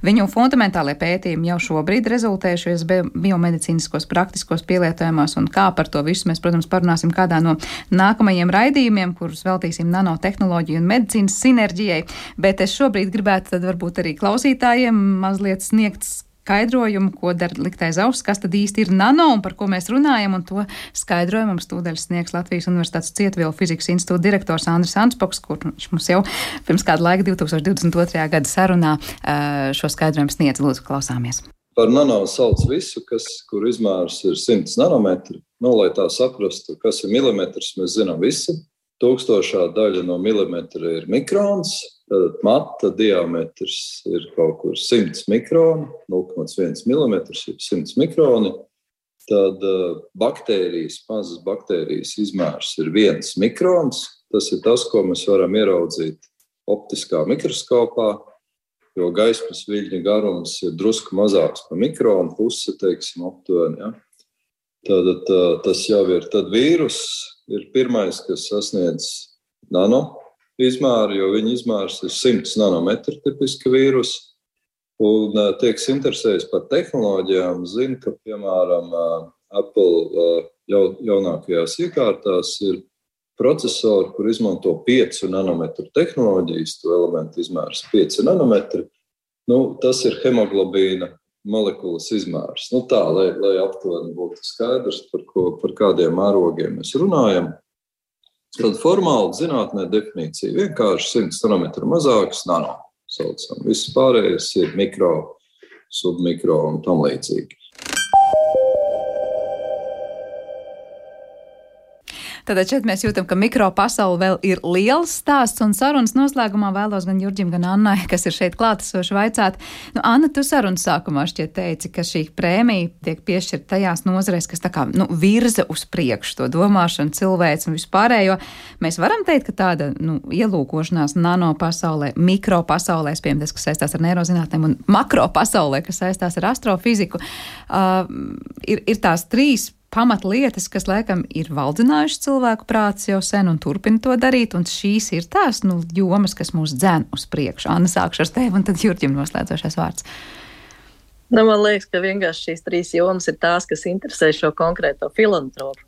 Viņu fundamentālie pētījumi jau šobrīd rezultējušies biomedicīniskos praktiskos pielietojumos, un kā par to visu mēs, protams, parunāsim kādā no nākamajiem raidījumiem, kurus veltīsim nanotehnoloģiju un medicīnas sinerģijai, bet es šobrīd gribētu tad varbūt arī klausītājiem mazliet sniegt skaidrojumu, ko dara likt aiz auss, kas tad īsti ir nano un par ko mēs runājam, un to skaidrojumu mums tūdaļ sniegs Latvijas Universitātes Cietvielu fizikas institūta direktors Andris Anspoks, kur viņš mums jau pirms kāda laika divi tūkstoši divdesmit otrajā gada sarunā šo skaidrojumu sniedz. Lūdzu, klausāmies. Par nano sauc visu, kas, kur izmērs ir simts nanometri. Nu, lai tā saprastu, kas ir milimetrs, mēs zinām visi. Tūkstošā daļa no milimetra ir mikrons, tad mata diametrs ir kaut kur simts mikroni, nulle komats viens milimetrs ir simts mikroni. Tad uh, baktērijas, mazas baktērijas izmērs ir viens mikrons. Tas ir tas, ko mēs varam ieraudzīt optiskā mikroskopā, jo gaismas viļņa garums ir drusku mazāks par mikronu, puse, teiksim, aptuveni. Ja? Tad tā, tas jau ir. Tad vīrus ir pirmais, kas sasniedz nano izmēru, jo viņa izmērs ir simts nanometri tipiski vīrus. Un tiek interesējis par tehnoloģijām. Zinu, ka, piemēram, Apple jau, jaunākajās iekārtās ir procesori, kur izmanto piecu nanometru tehnoloģijas, to elementu izmērs pieci nanometri. Nu, tas ir hemoglobīna molekulas izmērs. Nu tā, lai, lai aptuveni būtu skaidrs, par, ko, par kādiem mērogiem mēs runājam. Tad formāli zinātnē definīcija vienkārši simts nanometru mazāks nano saucam. Viss pārējais ir mikro, submikro un tam līdzīgi. Tātad šeit mēs jūtam, ka mikropasaule vēl ir liels stāsts, un sarunas noslēgumā vēlos gan Jurģim, gan Annai, kas ir šeit klātesoši, vaicāt. Nu, Anna, tu sarunas sākumā šķiet teici, ka šī prēmija tiek piešķirta tajās nozarēs, kas tā kā nu, virza uz priekšu to domāšanu, cilvēks un vispārējo. Mēs varam teikt, ka tāda nu, ielūkošanās nano pasaulē, mikropasaulē, piemēram, tas, kas saistās ar neirozinātnēm, un makropasaulē, kas saistās ar astrofiziku, uh, ir, ir tās trīs pamatlietas, kas laikam ir valdzinājušas cilvēku prātus jau sen un turpina to darīt, un šīs ir tās, nu, jomas, kas mūs dzen uz priekšu. Anna, sākšu ar tevi, un tad Jurģim noslēdzošais vārds. Nu, man liekas, ka vienkārši šīs trīs jomas ir tās, kas interesē šo konkrēto filantropu.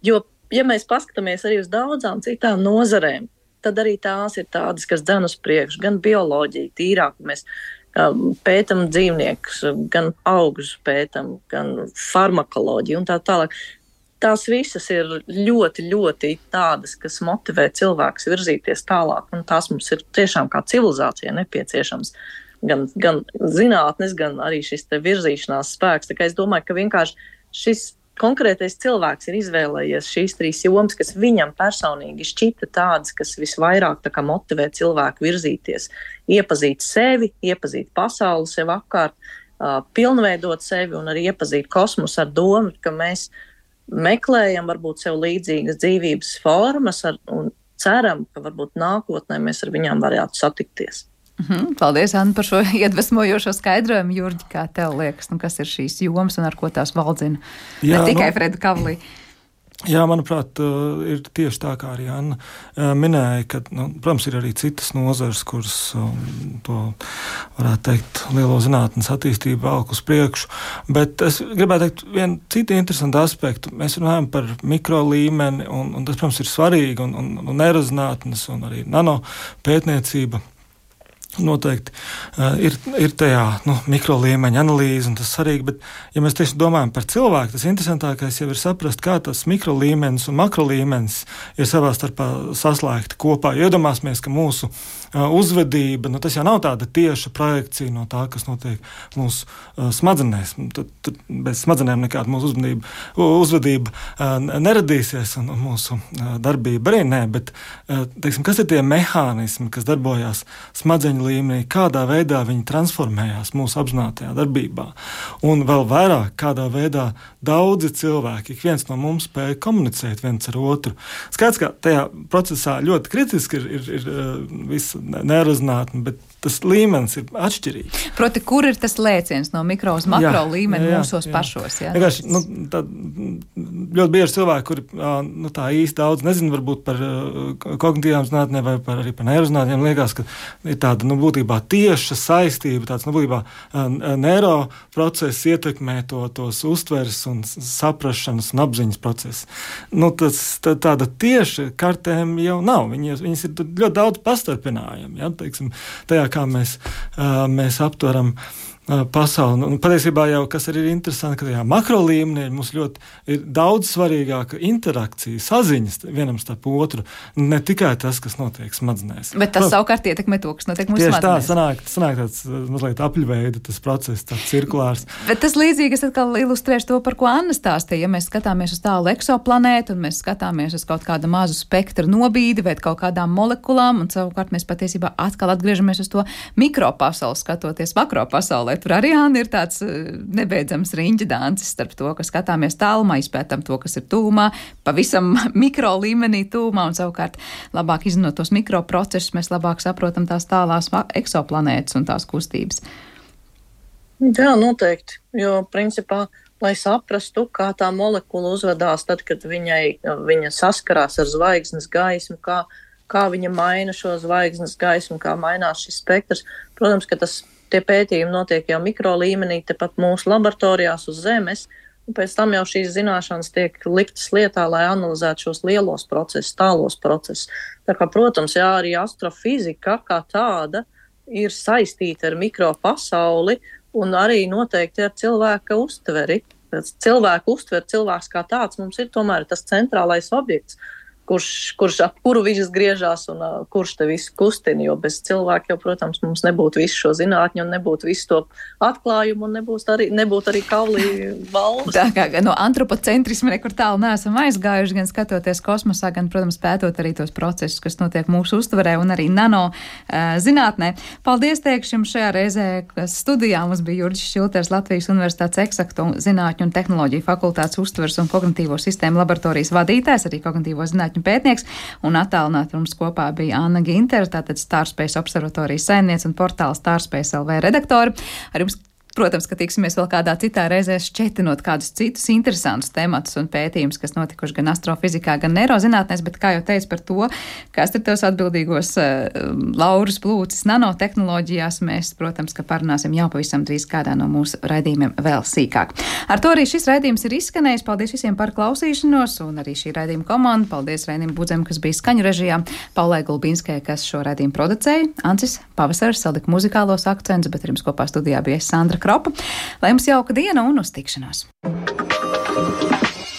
Jo, ja mēs paskatāmies arī uz daudzām citām nozarēm, tad arī tās ir tādas, kas dzen uz priekšu, gan bioloģija, tīrāk, mēs pētam dzīvniekus, gan augus pētam, gan farmakoloģiju un tā tālāk. Tās visas ir ļoti, ļoti tādas, kas motivē cilvēkus virzīties tālāk, un tās mums ir tiešām kā civilizācija nepieciešams. Gan, gan zinātnes, gan arī šis te virzīšanās spēks. Tā kā es domāju, ka vienkārši šis konkrētais cilvēks ir izvēlējies šīs trīs jomas, kas viņam personīgi šķita tādas, kas visvairāk tā kā motivē cilvēku virzīties, iepazīt sevi, iepazīt pasauli sev apkārt, uh, pilnveidot sevi un arī iepazīt kosmosu ar domu, ka mēs meklējam varbūt sev līdzīgas dzīvības formas ar, un ceram, ka varbūt nākotnē mēs ar viņām varētu satikties. Mhm, paldies, Anna, par šo iedvesmojošo skaidrojumu. Jurģi, kā tev liekas, nu, kas ir šīs jomas un ar ko tās valdzina? Jā, ne tikai nu, Freda Kavlī. Jā, manuprāt, ir tieši tā, kā arī Anna minēja, ka, nu, protams, ir arī citas nozares, kuras um, to, varētu teikt, lielo zinātnes attīstību velk uz priekšu. Bet es gribētu teikt vienu citu interesantu aspektu. Mēs runājam par mikro līmeni, un, un tas, protams, ir svarīgi, un, un, un neirozinātnes, un arī nano pētniecība. Noteikti uh, ir, ir tajā nu, mikro līmeņa analīze, un tas svarīgi, bet, ja mēs tieši domājam par cilvēku, tas interesantākais jau ir saprast, kā tas mikro līmenis un makro līmenis ir savā starpā saslēgti kopā. Jo iedomāsimies, ka mūsu uh, uzvedība, nu, tas jau nav tāda tieša projekcija no tā, kas notiek mūsu uh, smadzenēs. Tad, tad bez smadzenēm nekāda mūsu uzvedība, uzvedība uh, neradīsies, un, un mūsu uh, darbība arī nē, bet, uh, teiksim, kas ir tie mehānismi, kas darbojās smadzeņu līmenī, kādā veidā viņi transformējās mūsu apzinātajā darbībā. Un vēl vairāk, kādā veidā daudzi cilvēki, ik viens no mums spēja komunicēt viens ar otru. Skaidrs, ka tajā procesā ļoti kritiski ir, ir, ir visa neirozinātne, bet tas līmenis ir atšķirīgs. Proti, kur ir tas lēciens no mikro uz makro jā, līmeni jā, mūsos jā. pašos? Jā, Vienkārši, nu, tā, ļoti bieži cilvēki, kuri nu, tā īsti daudz nezina varbūt par kognitīvām zinātnēm vai par, arī par neirozinātnēm, liekas, ka ir tāda, nu, būtībā tieša saistība, tāds, nu, būtībā neiroprocess ietekmē to, tos uztveres un saprašanas un apziņas procesu. Nu, tas, tā, tāda tieša kartēm jau nav. Viņas, viņas ir ļoti daudz pastarpinājumi, ja, teiksim, tajā, kā mēs, uh, mēs aptveram uh, pasauli. Un patiesībā jau, kas arī ir interesanti, ka tajā makro līmenī mums ļoti ir daudz svarīgāka interakcija, saziņas vienam starp otru, ne tikai tas, kas notiek smadzenēs. Bet tas Prot, savukārt ietekmē to, kas notiek mūsu smadzenēs. Tieši tā, sanāk, sanāk tāds mazliet apļveida, tas process, tāds cirkulārs. Bet tas līdzīgi, es atkal ilustrēšu to, par ko Anna stāstīja. Ja mēs skatāmies uz tālu eksoplanētu, un mēs skatāmies uz kaut kādu mazu spektru nobīdi vai kaut kādām molekulām, un savukārt mēs patiesībā atkal atgriežamies uz to mikropasauli, skatoties makropasaulē. Tur arī Anna ir tāds nebeidzams riņķa dancis starp to, ka skatāmies tālumā, izpētam to, kas ir tūmā, pavisam mikro līmenī tūmā, un savukārt labāk izzinot tos mikroprocesus, mēs labāk saprotam tās tālās eksoplanētas un tās kustības. Jā, noteikti, jo principā, lai saprastu, kā tā molekula uzvedās tad, kad viņai, viņa saskarās ar zvaigznes gaismu, kā, kā viņa maina šo zvaigznes gaismu, kā mainās šis spektrs. Protams, ka tas, tie pētījumi notiek jau mikro līmenī, tepat mūsu laboratorijās uz Zemes, un pēc tam jau šīs zināšanas tiek liktas lietā, lai analizētu šos lielos procesus, tālos procesus. Tā kā, protams, jā, arī astrofizika kā tāda ir saistīta ar mikropasauli, un arī noteikti ar cilvēka uztveri. Cilvēku uztver, cilvēks kā tāds mums ir tomēr tas centrālais objekts, kurš, kurš ap kuru viņš griežās un uh, kurš te visu kustina, jo bez cilvēka jau, protams, mums nebūtu visu šo zinātņu un nebūtu visu to atklājumu un nebūtu arī, nebūtu arī Kavlī valdes. Tā kā no antropocentrisma nekur tālu neesam aizgājuši, gan skatoties kosmosā, gan, protams, pētot arī tos procesus, kas notiek mūsu uztverē un arī nano uh, zinātnē. Paldies teikšu jums šajā reizē, kas studijā mums bija Jurģis Šilters, Latvijas Universitātes eksaktu zinātņu un tehnoloģiju fakultātes uztveres un kognitīvo sistēmu laboratorijas vadītājs, arī kognitīvo zinātņu pētnieks, un attālināti mums kopā bija Anna Gintere, tātad Starspace observatorijas saimniece un portāla Starspace L V redaktori. Ar jums Protams, ka tiksimies vēl kādā citā reizē šķetinot kādus citus interesantus tematus un pētījumus, kas notikuši gan astrofizikā, gan neirozinātnēs, bet, kā jau teicu par to, kas ir tos atbildīgos uh, laurus plūcis nanotehnoloģijās, mēs, protams, ka parunāsim jau pavisam drīz kādā no mūsu raidījumiem vēl sīkāk. Ar to arī šis raidījums ir izskanējis. Paldies visiem par klausīšanos un arī šī raidījuma komanda. Paldies Reinim Budzem, kas bija skaņu režijā, Paulai Gulbinskai, kas šo raidījumu producēja, Ancis Pavasaris salika muzikālos akcentus, bet ar jums kopā studijā bija Sandra Kropa. Lai jums jauka diena un uz tikšanos!